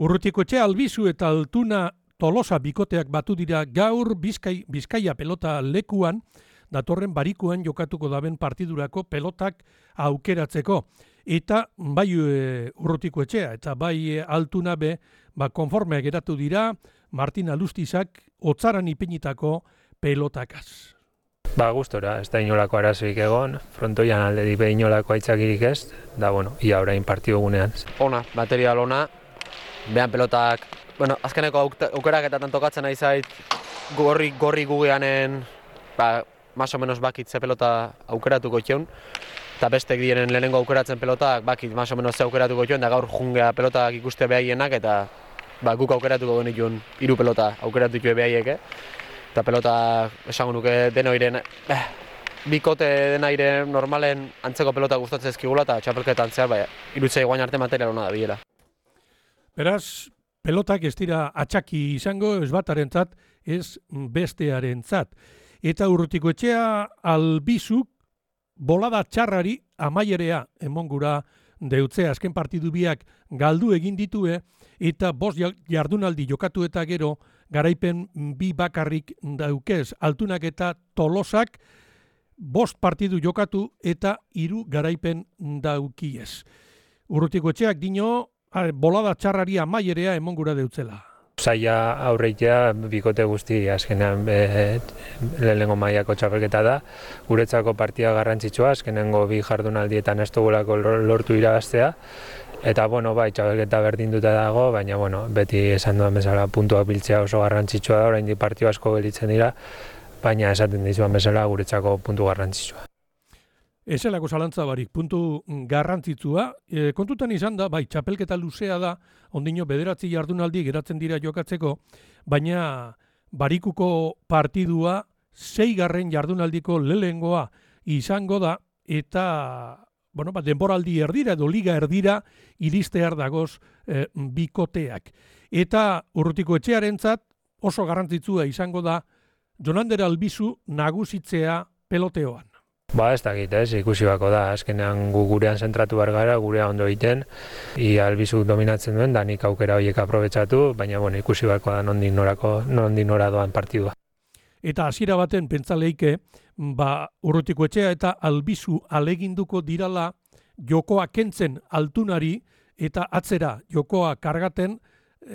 Urrutikoetxea Albizu eta Altuna Tolosa bikoteak batu dira gaur Bizkaia pelota lekuan, datorren barikuan jokatuko daben partidurako pelotak aukeratzeko. Eta bai Urrutikoetxea eta bai Altuna be konformeak geratu dira Martin Alustizak otzaran ipinitako pelotakaz. Gustora, ez da inolako arazoik egon, frontoian alde dipe inolako aitzakirik ez, da ia orain partidu gunean. Ona, material ona, behan pelotak, azkeneko aukerak eta tantokatzen nahi zait, gorri gugeanen, más o menos bakit ze pelota aukeratuko txeun, eta bestek diren lehenengo aukeratzen pelotak, bakit más o menos ze aukeratuko txeun, da gaur jungea pelotak ikuste behaienak, eta guk aukeratuko genituen 3 pelota aukeratu txue behaiek, eta pelota esango nuke denoiren, bikote denaire normalen antzeko pelota gustatzen ezkigula eta txapelketan zehar, irutzei guain arte material hona da biela. Beraz, pelotak ez dira atxaki izango, ez batarentzat, ez bestearentzat. Eta Urrutikoetxea Albizuk bolada txarrari amaierea emongura deutzea. Azken partidu biak galdu egin ditue eta 5 jardunaldi jokatu eta gero garaipen 2 bakarrik daukez. Altunak eta Tolosak 5 partidu jokatu eta 3 garaipen daukiez. Urrutikoetxeak dino bolada txarrari amaierea emongura deutzela. Zaila aurreitea bikote guzti azkenean lehenengo mailako txapelketa da. Guretzako partida garrantzitsua, azkenengo 2 jardunaldietan ez dugulako lortu irabaztea. Eta bai, txapelketa berdinduta dago, baina beti esan duan bezala puntuak biltzea oso garrantzitsua da, oraindik partidu asko gelditzen dira, baina esaten dizuan bezala guretzako puntu garrantzitsua. Ezelako zalantza barik, puntu garrantzitsua. Kontutan izan da, txapelketa luzea da, ondino 9 jardunaldi geratzen dira jokatzeko, baina barikuko partidua 6. jardunaldiko lehengoa izango da, eta denboraldi erdira edo liga erdira iristear dagoz bikoteak. Eta Urrutikoetxearentzat oso garrantzitsua izango da Jonander Albizu nagusitzea peloteoan. Ez dakit, ikusi bako da, azkenean gurean zentratu behar gara, gurea ondo egiten, Albizuk dominatzen duen, da nik aukera horiek aprobetsatu, baina ikusi bako da nondik nora doan partidua. Eta hasiera baten pentsaleike, Urrutikoetxea eta Albizu aleginduko dirala jokoa kentzen Altunari eta atzera jokoa kargaten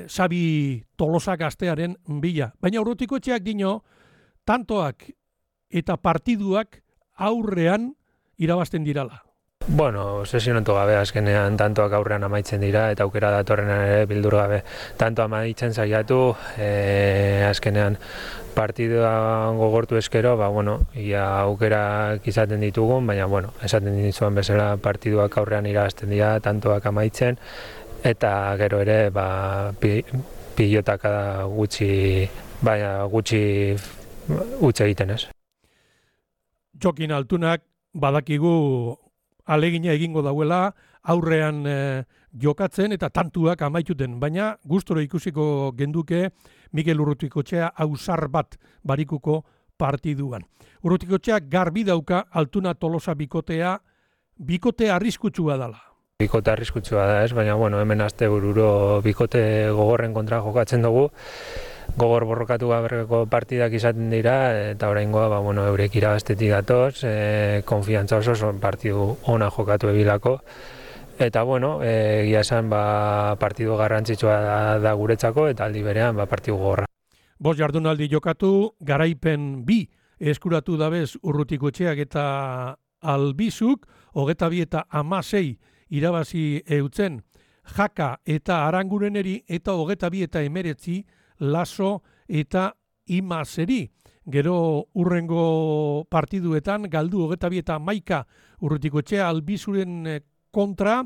Xabi Tolosa gaztearen bila. Baina Urrutikoetxeak dino, tantoak eta partiduak aurrean irabazten dirala. Sesionatu gabe azkenean tantoak aurrean amaitzen dira eta aukera datorrenan ere bildur gabe tanto amaitzen saiatu, azkenean partidua gogortu eskero, ia aukerak izaten ditugun, baina esaten ditzuan bezala partiduak aurrean irabazten dira, tantoak amaitzen, eta gero ere pilotaka gutxi utz egiten ez. Jokin Altunak badakigu alegina egingo dauela aurrean jokatzen eta tantuak amaituten, baina gustoro ikusiko genduke Mikel Urrutikoetxea ausar bat barikuko partiduan. Urrutikoetxea garbi dauka Altuna Tolosa bikote arriskutsua dela. Bikote arriskutsua da ez, baina hemen astebururo bikote gogorren kontra jokatzen dugu. Gogor borrokatu gaberreko partidak izaten dira, eta oraingoa eurek irabaztetik datoz, konfiantza oso partidu ona jokatu ebilako. Eta egia esan partidu garrantzitsua da guretzako, eta aldi berean partidu gogorra. 5 jardunaldi jokatu, garaipen 2 eskuratu dabez Urrutikoetxeak eta Albizuk, 22 eta 16 irabazi eutzen Jaka eta Arangureneri, eta 22 eta 19 Laso eta Imazeri. Gero urrengo partiduetan galdu 22 eta 11 Urrutikoetxea Albizuren kontra,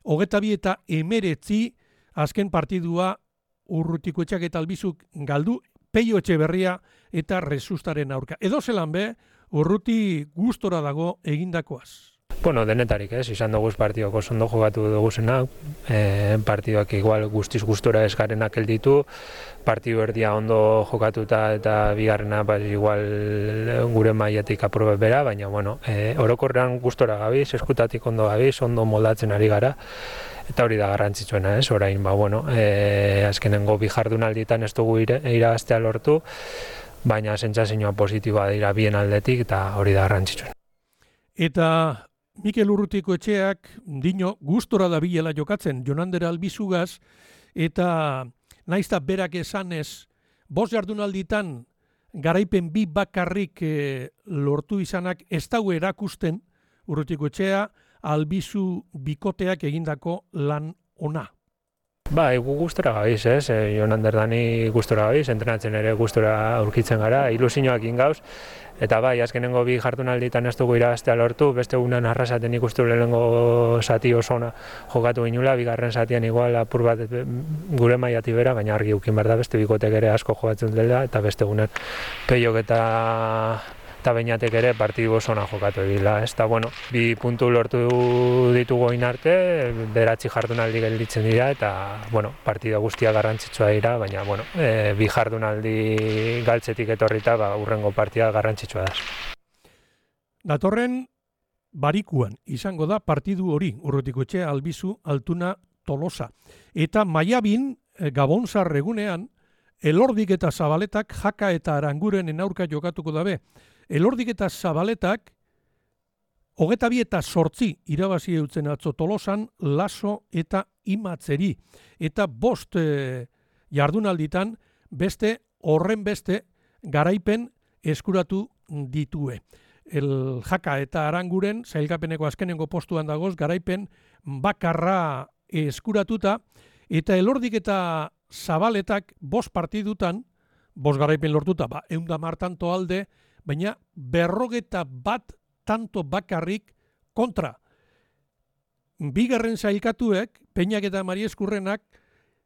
22 eta 19 azken partidua Urrutikoetxeak eta Albizuk galdu Peio Etxeberria eta Resustaren aurka. Edo zelan Urruti gustora dago egindakoaz. Denetarik izan dugu partidoko ondo jokatu duguzenak, partiduak igual guztiz gustora eskarenak elditu, partidu erdia ondo jokatuta eta bigarrena igual gure mailetik aprobe bera, baina orokorrean gustora gabiz, eskutatik ondo gabiz, ondo moldatzen ari gara, eta hori da garrantzitsuena, ez? Orain, azkenengo bi jardunalditan ez dugu irabaztea lortu, baina sentsazioa positiboa dira bien aldetik eta hori da garrantzitsuena. Eta Mikel Urrutikoetxeak dino gustora dabilela jokatzen Jonander Albizugaz, eta naizta berak esanez 5 jardunalditan garaipen bi bakarrik lortu izanak ez dago erakusten Urrutikoetxea Albizu bikoteak egindako lan ona. Bai, gu gustora gabiz, ez? Jonander Dani gustora gabiz, entrenatzen ere gustora aurkitzen gara, ilusioak ingauz. Eta bai, azkenengo bi jardunalditan ez dugu irabaztea lortu, beste egunan arrasaten ikustu lehenengo zati oso ona jokatu ginula, bigarren zatian igual apur bat gure mailati bera, baina argi ukin behar da beste bikotek ere asko jokatzen dela, eta beste egunan Peiok eta Beñatek ere partidu oso ona jokatu egila. Eta bueno, bi puntu lortu ditugu orain arte, 9 jardunaldi gelditzen dira, eta bueno, partida guztia garrantzitsua dira, baina bueno, bi jardunaldi galtzetik etorrita, hurrengo partida garrantzitsua da. Datorren barikuan izango da partidu hori, Urrutikoetxea Albizu Altuna Tolosa. Eta maiabin, Gabonzar egunean, Elordik eta Zabaletak Jaka eta Arangurenen aurka jokatuko dabe. Elordik eta Zabaletak 22 eta 8 irabazi eutzen atzo Tolosan, Laso eta Imatzeri. Eta 5 jardunalditan beste horren beste garaipen eskuratu ditue. El Jaka eta Aranguren sailkapeneko azkenengo postuan dagoz garaipen bakarra eskuratuta, eta Elordik eta Zabaletak 5 partidutan 5 garaipen lortuta, 110 tanto alde, baina 51 tanto bakarrik kontra. Bigarren sailkatuek, Peñak eta Marieskurrenak,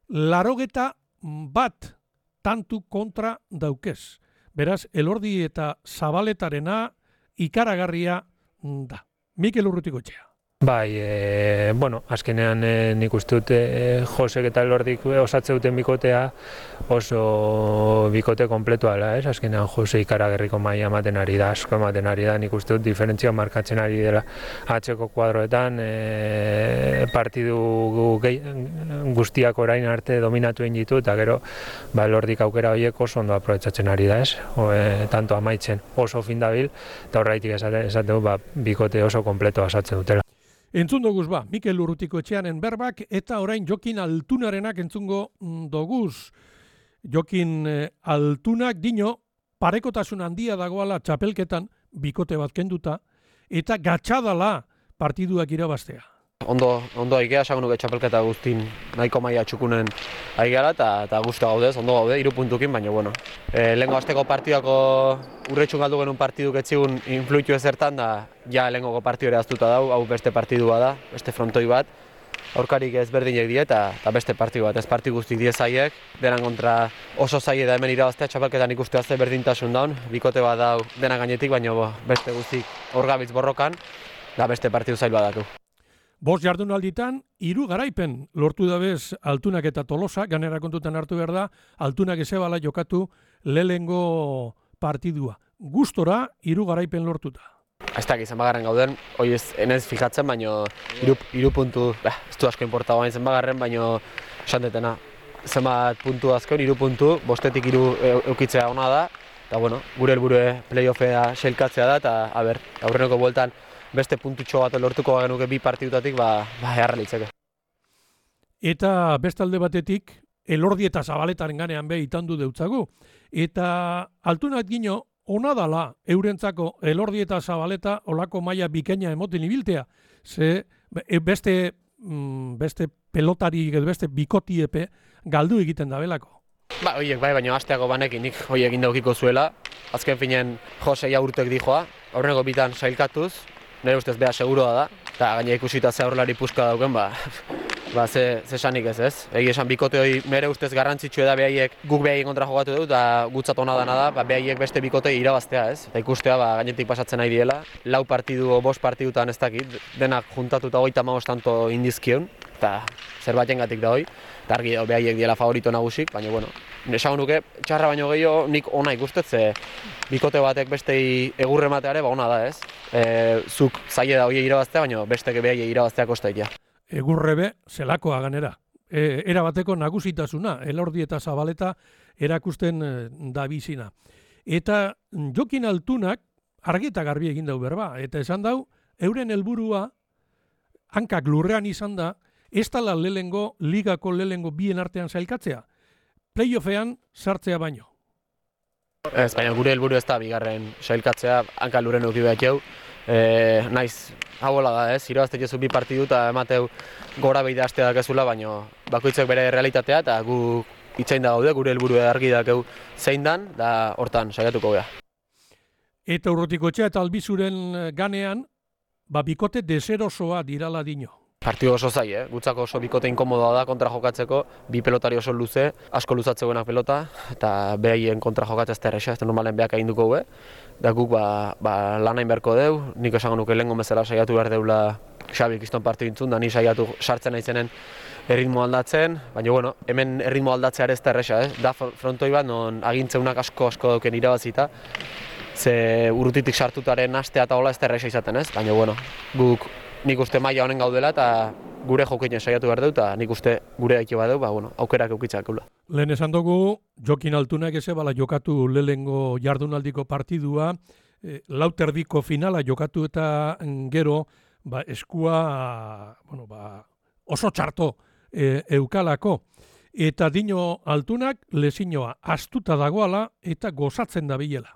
81 tantu kontra daukez. Beraz, Elordi eta Zabaletarena ikaragarria da. Mikel Urrutikoetxea. Bai, azkenean nik uste dut Josek eta Elordik osatze duten bikotea oso bikote kompletua dela, ez? Azkenean Jose ikaragarriko maila ematen ari da, asko ematen ari da, nik uste dut diferentzia markatzen ari dela atzeko kuadroetan, partidu guztiak orain arte dominatu egin ditu, eta gero Elordik aukera horiek oso ondo aprobetxatzen ari da, ez? Tanto amaitzen oso fin dabil, eta horreitik esategu bikote oso kompletua osatzen dutela. Entzun doguz Mikel Urrutikoetxeanen berbak, eta orain Jokin Altunarenak entzungo doguz. Jokin Altunak dino parekotasun handia dagoala txapelketan bikote bat kenduta, eta gatxadala partiduak irabaztea. Ondo aikea, esango nuke txapelketa guztin nahiko maila txukunen aigala, eta guzti gaudez, ondo gaude, 3 puntukin, baina bueno. Lehengo asteko partidako urretxun galdu genuen partiduk etzigun influitu ezertan, da ja lehengoko partidu ere aztuta dau, hau beste partidua da, beste frontoi bat. Aurkarik ezberdinek die eta beste partidu bat, ez partidu guztik die zaiek, denan kontra oso zaie da hemen irabaztea txapelketan ikustea ze berdintasun daun, bikote bat dau dena gainetik, baina beste guztik hor gabitz borrokan, da beste partidu zail badatu. 5 jardunalditan 3 garaipen lortu dabez Altunak eta Tolosa, ganera kontutan hartu behar da, Altunak ezebala jokatu lehengo partidua. Gustora 3 garaipen lortuta. Ez dakit zenbagarren gauden, hori ez fijatzen, baina 3 puntu, ez du asko importagoa zenbagarren, baina esan detena. Zenbat puntu azken, 3 puntu, 5etik 3 eukitzea ona da, eta bueno, gure helburua playoffea sailkatzea da, eta aurreneko bueltan beste puntutxo bat lortuko genuke 2 partidutatik, eharra litzeke. Eta bestalde batetik, Elordi eta Zabaletaren ganean itandu deutzagu. Eta Altunak gino, ona dala eurentzako Elordi eta Zabaleta olako maila bikaina emoten ibiltea. Ze beste pelotari, beste bikotiepe galdu egiten dabelako. Horiek baina asteako banekin nik horiek indaukiko zuela. Azken finen Jose urtek dijoa, aurreneko bitan sailkatuz, nire ustez beha seguroa da, eta gaina ikusita ze aurrelari puska dauken, ze esanik ez. Egi esan bikote hori nire ustez garrantzitsua da behaiek guk behaien kontra jogatu dut, eta gutzat ona dana da, behaiek beste bikote irabaztea ez. Eta ikustea gainetik pasatzen nahi diela, 4 partidu o 5 partidutan ez dakit, denak juntatuta 35 tanto indizkion, eta zerbaitengatik da hori, eta argi behaiek diela favorito nagusik, baina bueno, esango nuke, txarra baino gehiago nik ona ikustet, ze bikote batek bestei egurre ematea ere ona da ez. Zuk zaila da horiek irabaztea, baina bestek behaiek irabaztea kostaitea. egurrebe zelakoa ganera. Erabateko nagusitasuna, Elordi eta Zabaleta erakusten da bizina. Eta Jokin Altunak argi eta garbi egin dau berba, eta esan dau, euren helburua hankak lurrean izan da, ez tala ligako lehengo bien artean zailkatzea, playoffean sartzea baino. Ez, baina gure helburu ez da bigarren sailkatzea, hanka lurren euki behar jau. Naiz, hau da, irabazte jozu bi partidu eta emateu gora behida hastea dakezula, baina bakoitzak bere realitatea eta gu itxain da gaude, gure helburu argi dakeu zein dan, da hortan saiatuko geha. Eta Urrutikoetxea eta Albizuren ganean, bikote deserosoa dirala dino. Partidu oso zai, gutzako oso bikote inkomodoa da kontra jokatzeko, bi pelotari oso luze, asko luzatzegoenak pelota, eta behaien kontra jokatzea ez da erresa, ez da normalen behak egin duko da guk lanain beharko deu, nik esango nuke lehengo bezala saiatu behar deula Xabi kiston partidu intzun, da ni saiatu sartzen naizenen erritmo aldatzen, baina bueno, hemen erritmo aldatzea ere ez da erresa, da frontoi bat non agintzeunak asko dauken irabazita, ze Urrutitik sartutaren astea eta hola ez da erresa izaten baina bueno, guk nik uste maila honen gaudela eta gure jokeinen saiatu behar dut eta nik uste gure daiki badeu, aukerak eukitzak eula. Lehen esan dugu, Jokin Altunak bala jokatu lehengo jardunaldiko partidua, lauterdiko finala jokatu eta gero eskua oso txarto eukalako. Eta dino Altunak lezinoa astuta dagoala eta gozatzen da bilela.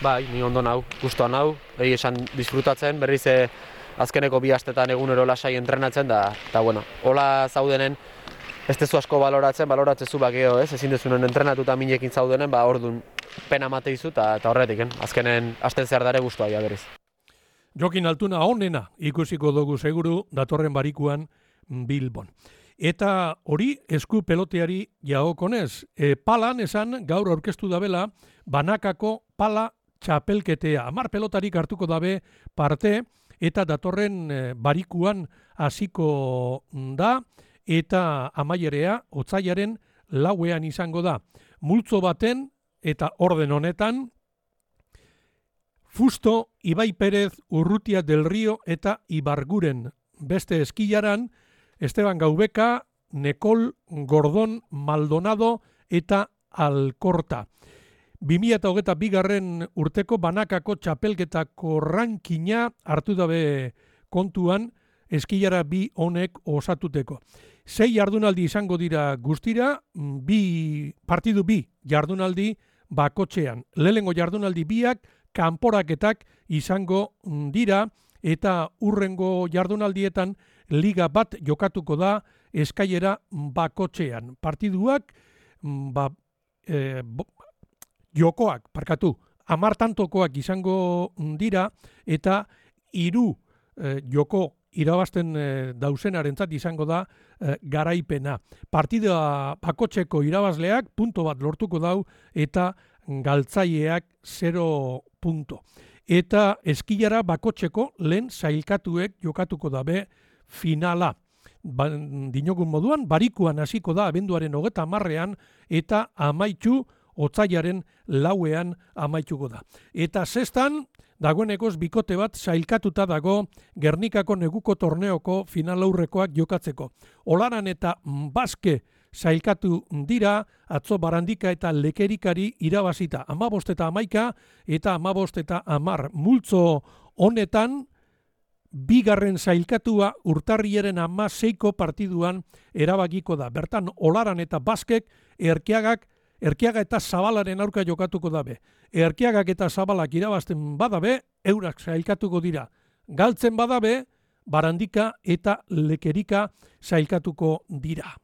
Bai, ni ondo nau, gustuan nau, behi esan disfrutatzen, berriz azkeneko bi astetan egunero lasai entrenatzen da, eta bueno, hola zaudenen ez tezu asko baloratzezu bakeo, ezin dezunen entrenatuta minekin zaudenen, ordun pena mate izu eta horretik, azkenen asten zehar dare gustua ja berriz. Jokin Altuna onena ikusiko dugu seguru datorren barikuan Bilbon. Eta hori esku peloteari jaokonez, palan esan gaur aurkeztu dabela banakako pala txapelketea. 10 pelotarik hartuko dabe parte eta datorren barikuan hasiko da eta amaierea otsailaren 4ean izango da. Multzo baten eta orden honetan Fusto, Ibai Perez, Urrutia del Rio eta Ibarguren. Beste eskilaran Esteban Gaubeka, Nekol, Gordon, Maldonado eta Alkorta. 2022 urteko banakako txapelketako rankina hartu dabe kontuan eskilara bi honek osatuteko. 6 jardunaldi izango dira guztira, partidu bi jardunaldi bakotxean. Lehengo jardunaldi biak kanporaketak izango dira eta urrengo jardunaldietan liga bat jokatuko da eskailera bakotxean. Partiduak jokoak, 10 tantokoak izango dira eta 3 joko irabazten dauzenarentzat izango da garaipena. Partida bakotxeko irabazleak punto bat lortuko dau eta galtzaileak 0 punto. Eta eskilara bakotxeko lehen sailkatuek jokatuko dabe finala. Dinogun moduan, barikuan hasiko da abenduaren 30ean eta amaitzu otsailaren 4ean amaituko da. Eta zestan, dagoenekoz bikote bat sailkatuta dago Gernikako neguko torneoko final aurrekoak jokatzeko. Olaran eta Baske sailkatu dira, atzo Barandika eta Lekerikari irabazita 15 eta 11 eta 15 eta 10 multzo honetan, bigarren sailkatua urtarriaren 16ko partiduan erabakiko da. Bertan, Olaran eta Baskek Erkiaga eta Zabalaren aurka jokatuko dabe. Erkiagak eta Zabalak irabazten badabe, eurak sailkatuko dira. Galtzen badabe, Barandika eta Lekerika sailkatuko dira.